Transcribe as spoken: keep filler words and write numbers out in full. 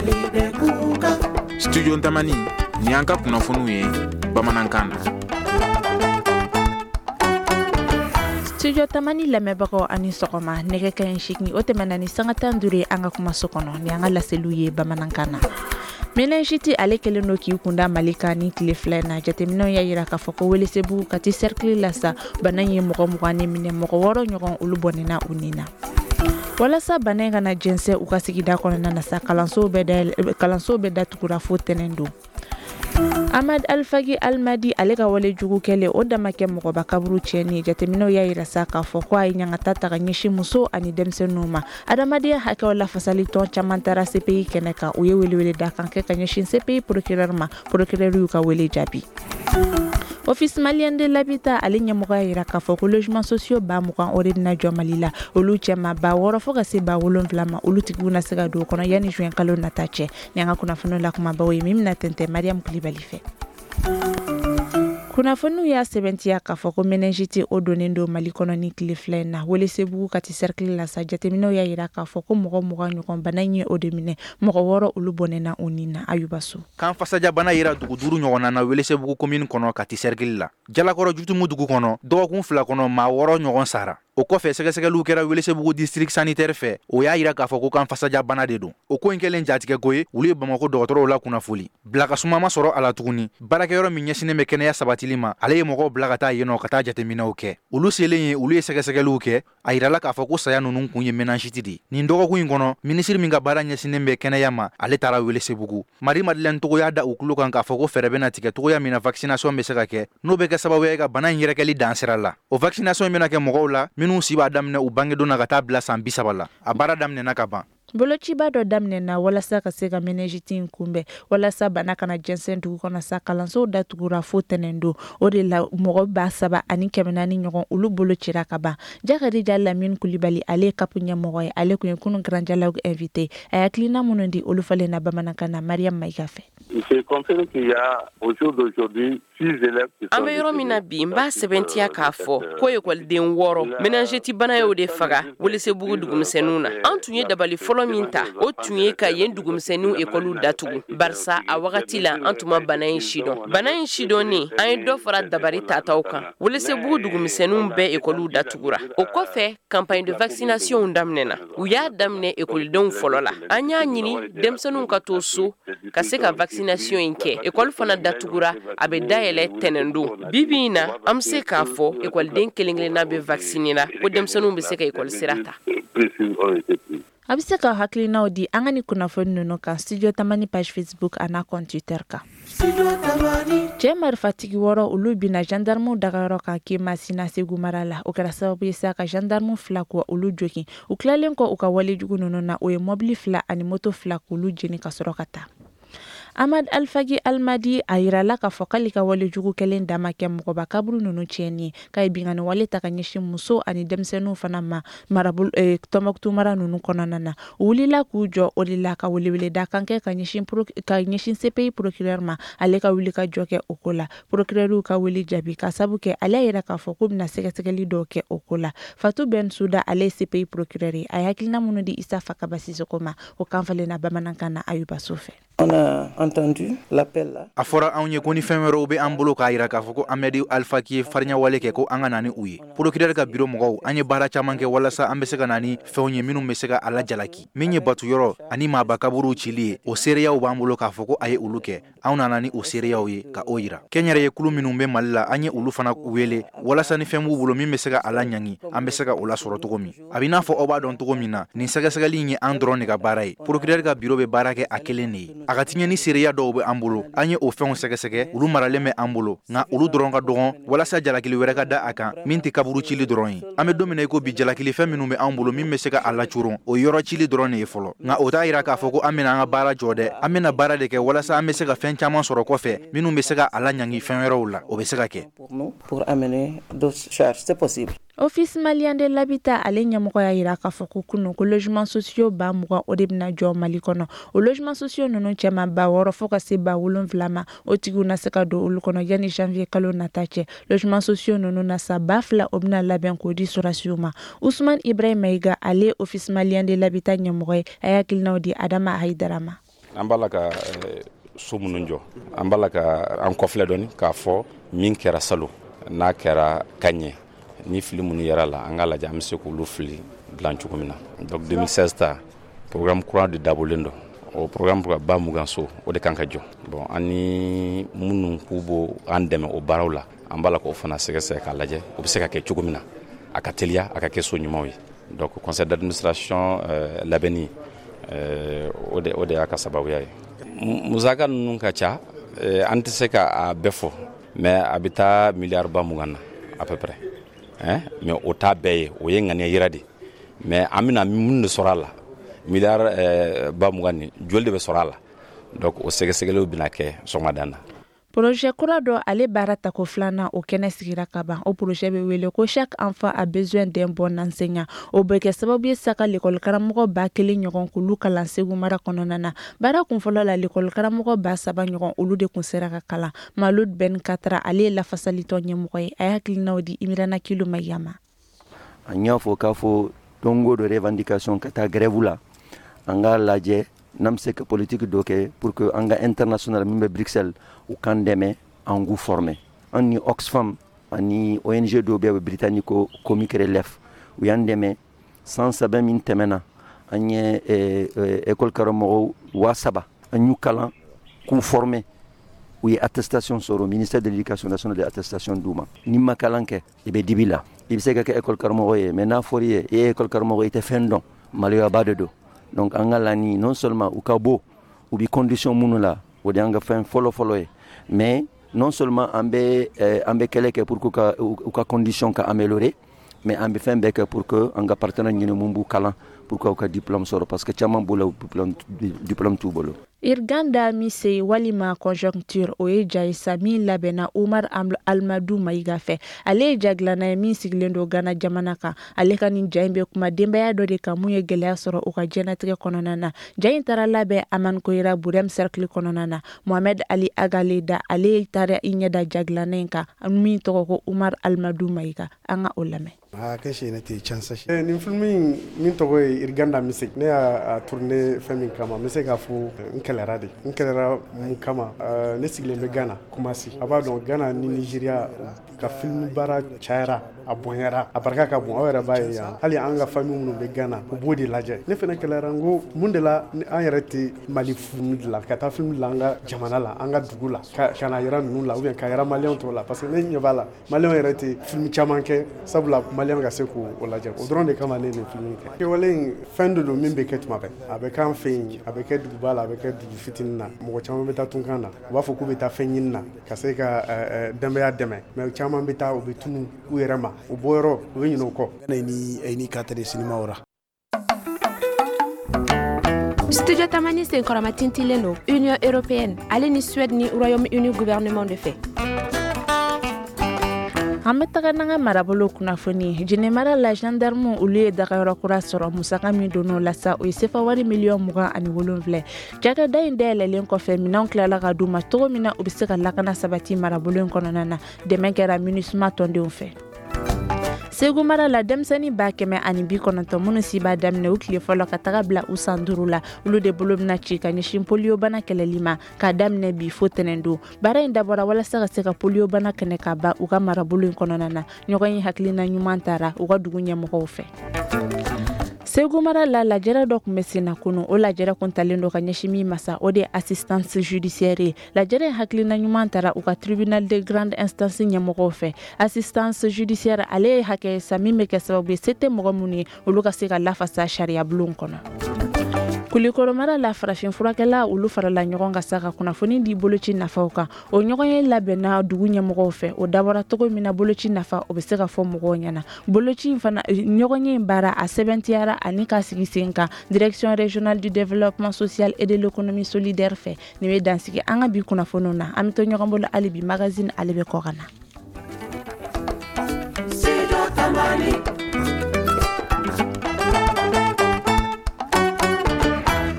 Mali bɛ kuka. Studio Tamani, ni an ka kunnafoniw ye bamanankan na. Studio Tamani lamɛnbagaw ani sɔgɔma, nɛgɛ kaɲɛ seegin o tɛmɛna ni sanga tan duuru ye an ka kumaso kɔnɔ ni an ka laseliw ye bamanankan na. Méningite ale kɛlen don k'i kunda Mali kan ni tile fila in na. Jateminɛw y'a jira k'a fɔ ko Welesebugu Kati cercle la sa, bana in ye mɔgɔ mugan ni minɛ, mɔgɔ wɔɔrɔ ɲɔgɔn olu bɔnɛna u ni na. Walasa bana in kana jɛnsɛn u ka sigida kɔnɔna na sa, kalansow bɛɛ dayɛlɛ kalansow bɛɛ datugura fo tɛnɛn don. Ahmad Alfagi Almadi ale ka wale jugu kɛlen o dama kɛ mɔgɔba kaburu tiɲɛni. Jateminɛw y'a jira sa k'a fɔ ko a ye ɲangata ta ka ɲɛsin muso ani denmisɛnninw ma. Adamadenya hakɛw lafasali tɔn caman taara C P I kɛnɛ kan, u ye welewele da kan kɛ ka ɲɛsin C P I procureur ma. Procureur y'u ka wele jaabi. Office malien de l'habitat ale ɲɛmɔgɔ y'a jira k'a fɔ ko logement sociaux ba mugan o de bɛna jɔ Mali la. Olu cɛma ba wɔɔrɔ fo ka se ba wolonwula ma, olu tigiw na se ka don o kɔnɔ yanni juin kalo nata cɛ. Ni an ka kunnafoniw la kumabaw ye min bɛna tɛntɛn Mariam Kulibali fɛ. Kunnafoniw y'a sɛbɛntiya k'a fɔ ko méningite o donnen don Mali kɔnɔ ni tile fila in na. Welesebugu Kati cercle la sa, jateminɛw y'a jira k'a fɔ ko mɔgɔ mugan ɲɔgɔn bana in ye o de minɛ, mɔgɔ wɔɔrɔ olu bɔnɛna u ni na. Ayuba So. Kan fasajabana yera dugu duuru ɲɔgɔnna na Welesebugu commune kɔnɔ, Kati cercle la, Jalakɔrɔ Jutumu dugu kɔnɔ. Dɔgɔkun fila kɔnɔ, maa wɔɔrɔ ɲɔgɔn sara. O kɔfɛ, sɛgɛsɛgɛliw kɛra Welesebugu district sanitaire fɛ, o y'a yira k'a fɔ ko kan fasajabana de don. O ko in kɛlen jatigɛko ye, olu ye Bamako dɔgɔtɔrɔw la kunnafoli bila ka suma ma sɔrɔ a la tuguni. Baarakɛyɔrɔ min ɲɛsinnen bɛ kɛnɛya sabatili ma, ale ye mɔgɔw bila ka taa yen nɔ ka taa jateminɛw kɛ. Olu selen ye, olu ye sɛgɛsɛgɛliw kɛ, a yirala k'a fɔ ko saya ninnu kun ye méningite de ye. Nin dɔgɔkun in kɔnɔ, minisiri min ka baara ɲɛsinnen bɛ kɛnɛya ma, ale taara Welesebugu. Marie Madeleine Togo y'a da u tulo kan k'a fɔ ko fɛɛrɛ bɛna tigɛ togoya min na vaccination bɛ se ka kɛ, n'o bɛ kɛ sababu ye ka bana in yɛrɛkɛli dan sira la. O vaccination in bɛna kɛ mɔgɔw la minnu si b'a daminɛ u bangedon na ka taa bila san bi saba la. A baara daminɛna ka ban. Bolociba dɔ daminɛna walasa ka se ka méningite in kunbɛn. Walasa bana kana jɛnsɛn dugu kɔnɔ sa, kalansow datugura fo tɛnɛn don. O de la, mɔgɔ ba saba ani kɛmɛ naani ɲɔgɔn olu bolo cira ka ban. Jakadija Lamine Kulibali, ale ye C A P ɲɛmɔgɔ ye, ale tun ye kunun Grand Dialogue invité. A ye hakilina minnu di, olu falenna bamanankan na Mariam Mayiga fɛ. An bɛ yɔrɔ min na bi, n b'a sɛbɛntiya k'a fɔ ko ekɔliden wɔɔrɔ, méningite bana y'o de faga Welesebugu dugumisɛnninw na. An tun ye dabali fɔlɔ min ta, o tun ye ka yen dugumisɛnninw ekɔliw datugu, barisa a wagati la an tun ma bana in sidɔn. Bana in sidɔnnen, an ye dɔ fara dabali tataw kan. Welesebugu dugumisɛnninw bɛɛ ekɔliw datugura. O kɔfɛ, campagne de vaccination daminɛna. U y'a daminɛ ekɔlidenw fɔlɔ la. An y'a ɲini denmisɛnninw ka to so ka se ka vaccination in kɛ. Ekɔli fana datugura, a bɛ dayɛlɛ tɛnɛn don. Bi bi in na, an bɛ se k'a fɔ ekɔliden kelen kelenna bɛ vacciner la, ko denmisɛnninw bɛ se ka ekɔli sira ta. A bɛ se ka hakilinaw di an ka ni kunnafoni ninnu kan Studio Tamani page Facebook a n'a compte Twitter kan. Cɛ marifatigi wɔɔrɔ olu binna gendarmew dagayɔrɔ kan Kemasina, Segu mara la. O kɛra sababu ye sa ka gendarme fila ko olu jogin. U tilalen kɔ u ka walejugu ninnu na, o ye mɔbili fila ani moto fila k'olu jeni ka sɔrɔ ka taa. Ahmad Alfagi Almadi a yirala k'a fɔ k'ale ka walejugu kɛlen dan ma kɛ mɔgɔba kaburu ninnu tiɲɛni ye, k'a ye binkanni wale ta ka ɲɛsin muso ani denmisɛnninw fana ma marabolo eh, Tɔnbɔkutu mara ninnu kɔnɔna na. U wulila k'u jɔ o de la ka weleweleda kan kɛ ka ɲɛsin ka ɲɛsin C P I procureur ma, ale ka wuli ka jɔ kɛ o ko la. Procureur y'u ka wele jaabi ka sabu kɛ ale y'a yira k'a fɔ k'u bɛna sɛgɛsɛgɛli dɔw kɛ o ko la. Fatou Bensouda, ale ye C P I procureur ye, a ye hakilina minnu di Isa Fakaba Sisoko ma, o kan falenna bamanankan na Ayuba So fɛ. On a entendu l'appel là. A fɔra anw ye ko ni fɛn wɛrɛw bɛ an bolo k'a yira k'a fɔ ko Amedi Alfaki ye fariɲawale kɛ, ko an ka na ni u ye. Procureur ka bureau mɔgɔw, an ye baara caman kɛ walasa an bɛ se ka na ni fɛnw ye minnu bɛ se ka a lajalaki. Min ye batuyɔrɔ ani maaba kaburuw cili ye, o seereyaw b'an bolo k'a fɔ ko a ye olu kɛ. Anw nana ni o seereyaw ye ka o yira. Kɛnyɛrɛye kulu minnu bɛ Mali la, an ye olu fana wele walasa ni fɛn b'u bolo min bɛ se ka a laɲangi, an bɛ se ka o lasɔrɔ cogo min. A b'i n'a fɔ aw b'a dɔn cogo min na, nin sɛgɛsɛgɛli in ye an dɔrɔn de ka baara ye. Procureur ka bureau bɛ baara kɛ a kelen de ye. A ka tiɲɛ ni seereya dɔw bɛ an bolo, an ye o fɛnw sɛgɛsɛgɛ, olu maralen bɛ an bolo, nka olu dɔrɔn ka dɔgɔn walasa jalakili wɛrɛ ka da a kan min tɛ kaburu cili dɔrɔn ye. An bɛ don min na i ko bi, jalakili fɛn minnu bɛ an bolo min bɛ se ka a lacoron, o yɔrɔ cili dɔrɔn de ye fɔlɔ. Nka o t'a yira k'a fɔ ko an bɛna an ka baara jɔ dɛ. An bɛna baara de kɛ walasa an bɛ se ka fɛn caman sɔrɔ kɔfɛ minnu bɛ se ka a laɲangi fɛn wɛrɛw la. O bɛ se ka kɛ. Pour nous, pour amener d'autres charges, c'est possible. Office malien de l'habitat ale ɲɛmɔgɔ y'a yira k'a fɔ ko kunun ko logement sociaux ba mugan o de bɛna jɔ Mali kɔnɔ. O logement sociaux ninnu cɛma, ba wɔɔrɔ fo ka se ba wolonwula ma, o tigiw na se ka don olu kɔnɔ yanni janvier kalo nata cɛ. Logement sociaux ninnu na sa, ba fila o bɛna labɛn k'o di sɔrɔdasiw ma. Usman Ibrahim Mayiga, ale office malien de l'habitat ɲɛmɔgɔ ye, a ye hakilinaw di Adama Hayidara ma. An b'a la ka so minnu jɔ, an b'a la ka an kɔfilɛ dɔɔni k'a fɔ min kɛra salon n'a kɛra ka ɲɛ, ni fili minnu yɛrɛ la, an k'a lajɛ an bɛ se k'olu fili dilan cogo min na. Donc deux mille seize ta programme kura de dabɔlen don. O programme ba mugan so, o de kan ka jɔ. Bon, an ni minnu k'u b'o an dɛmɛ o baaraw la, an b'a la k'o fana sɛgɛsɛgɛ k'a lajɛ o bɛ se ka kɛ cogo min na, a ka teliya, a ka kɛ so ɲumanw ye. Donc conseil d'administration euh, labɛnni euh, o de o de y'a ka sababuya ye. Musaka ninnu ka ca, euh, an tɛ se ka a bɛɛ fɔ, mais a bɛ taa miliyari ba mugan na à peu près, hein? Mais o t'a bɛɛ ye, o ye ŋaniya yira de, mais an bɛna mun de sɔrɔ a la? Miliyari euh, ba mugan ni joli de bɛ sɔrɔ a la? Donc o sɛgɛsɛgɛliw bɛna kɛ sɔgɔmada na. Projet kura dɔ, ale baara tako filanan, o kɛnɛ sigira ka ban. O projet bɛ wele ko "Chaque enfant a besoin d'un bon enseignant". O bɛ kɛ sababu ye sa ka lekɔli karamɔgɔ ba kelen ɲɔgɔn k'olu kalan Segu mara kɔnɔna na. Baara kunfɔlɔ la, lekɔli karamɔgɔ ba saba ɲɔgɔn, olu de kun sera ka kalan. Malud Ben Katra, ale ye lafasalitɔn ɲɛmɔgɔ ye, a ye hakilinaw di Imirana Kilo Mayama. An y'a fɔ k'a fɔ don o don revendication ka taa grève la, an k'a lajɛ n'an bɛ se ka politique dɔ kɛ pour que an ka international min bɛ Bruxelles, u k'an dɛmɛ an k'u former. An ni Oxfam ani O N G dɔw bɛ Britannique ko Comic Relief, u y'an dɛmɛ. San saba min tɛmɛna, an ye école karamɔgɔw waa saba, an y'u kalan k'u former, u ye attestation sɔrɔ. Ministère de l'Éducation nationale de attestation d'u ma. N'i ma kalan kɛ, i bɛ dibi la. I bɛ se ka kɛ école karamɔgɔ ye, mais n'a fɔr'i ye i ye école karamɔgɔ, i tɛ fɛn dɔn, maloyaba de don. Donc an ka laɲini, non seulement u ka bɔ u bɛ condition minnu la, o de y'an ka fɛn fɔlɔ fɔlɔ ye, mais non seulement an bɛ an bɛ kɛlɛ kɛ pour que ka u ka condition ka améliorer, mais an bɛ fɛn bɛɛ kɛ pour que an ka partenaire ɲini mun b'u kalan pour que u ka diplôme sɔrɔ, parce que caman b'u la, diplôme diplôme t'u bolo. Irganda Mise walima Conjoncture, o ye ja ye sa min labɛnna Umar Almadu Mayiga fɛ. Ale ye ja dilanna ye min sigilen don Gana jamana kan. Ale ka nin ja in bɛ kuma denbaya dɔ de kan mun ye gɛlɛya sɔrɔ u ka diɲɛnatigɛ kɔnɔna na. Ja in taara labɛn Aman Koyira Burem Cercle kɔnɔna na. Mohamed Ali Agale da, ale taara i ɲɛ da ja dilanna in kan min tɔgɔ ko Umar Almadu Mayiga. An ka o lamɛn. Nin film in min tɔgɔ ye Irganda Mise, ne y'a tourné fɛn min kama, n bɛ se k'a fɔ n kɛlɛra de. N kɛlɛra mun kama? Ne sigilen bɛ Ghana, Kumasi. A b'a dɔn, Ghana ni Nigeria ka film baara cayara, a bonyara, a barika ka bon. Aw yɛrɛ b'a ye yan, hali an ka famille minnu bɛ Ghana, u b'o de lajɛ. Ne fana kɛlɛra, n ko mun de la an yɛrɛ tɛ Mali film dilan, ka taa film dilan an ka jamana la, an ka dugu la, ka ka na yira ninnu la ou bien ka yira maliyɛnw tɔw la? Parce que ne ɲɛ b'a la, maliyɛnw yɛrɛ tɛ film caman kɛ, sabula maliyɛnw ka se k'o lajɛ. O dɔrɔn de kama ne ye nin film kɛ. Kɛwale in, fɛn de don min bɛ kɛ tuma bɛɛ. A bɛ k'an fɛ yen, a bɛ kɛ duguba la, a bɛ kɛ dugu fitinin na. Mɔgɔ caman bɛ taa tunkan na, u b'a fɔ k'u bɛ taa fɛn ɲini na ka se ka denbaya dɛmɛ, mais caman bɛ taa, u bɛ tunu u yɛrɛ ma, u bɔyɔrɔ, u bɛ ɲinɛ o kɔ. Studio Tamani senkɔrɔma tintilen don Union européenne ale ni Suède ni Royaume-Uni gouvernement de fɛ. An bɛ taga n'an ka marabolo kunnafoni. Jɛnɛmara la, gendarme, olu ye dagayɔrɔ kura sɔrɔ. Musaka min donn'o la sa, o ye sefa wari miliyɔn mugan ani wolonfilɛ. Cakɛda in dayɛlɛlen kɔfɛ, minɛnw tilala ka d'u ma cogo min na u bɛ se ka lakana sabati marabolo in kɔnɔna na. Dɛmɛ kɛra MINUSMA tɔndenw fɛ. Segu mara la, denmisɛnnin ba kɛmɛ ani bi kɔnɔntɔn minnu si b'a daminɛ u tile fɔlɔ ka taga bila u san duuru la, olu de bolo bɛna ci ka ɲɛsin poliyobana kɛlɛli ma k'a daminɛ bi fo tɛnɛn don. Baara in dabɔra walasa ka se ka poliyobana kɛnɛ ka ban u ka marabolo in kɔnɔna na. Ɲɔgɔn ye hakilina ɲuman tara u ka dugu ɲɛmɔgɔw fɛ. Segu mara la, lajɛrɛ dɔ tun bɛ sen na kunu. O lajɛrɛ kun talen don ka ɲɛsin min masa, o de ye assistance judiciaire ye. Lajɛrɛ in hakilina ɲuman tara u ka tribunal de grande instance ɲɛmɔgɔw fɛ. Assistance judiciaire, ale ye hakɛ sa min bɛ kɛ sababu ye, se tɛ mɔgɔ minnu ye, olu ka se ka lafasa sariya bulon kɔnɔ. Kulikoro mara la, farafin furakɛla, olu farala ɲɔgɔn kan sa ka kunnafoni di boloci nafaw kan. O ɲɔgɔn ye labɛnna dugu ɲɛmɔgɔw fɛ. O dabɔra cogo min na boloci nafa o bɛ se ka fɔ mɔgɔw ɲɛna. Boloci in fana, ɲɔgɔn ye in baara a sɛbɛntiyara ani k'a sigi sen kan Direction régionale du développement social et de l'économie solidaire fɛ. Nin bɛ dansigi an ka bi kunnafoniw na. An bɛ to ɲɔgɔn bolo hali bi, magazine, ale bɛ kɔ ka na.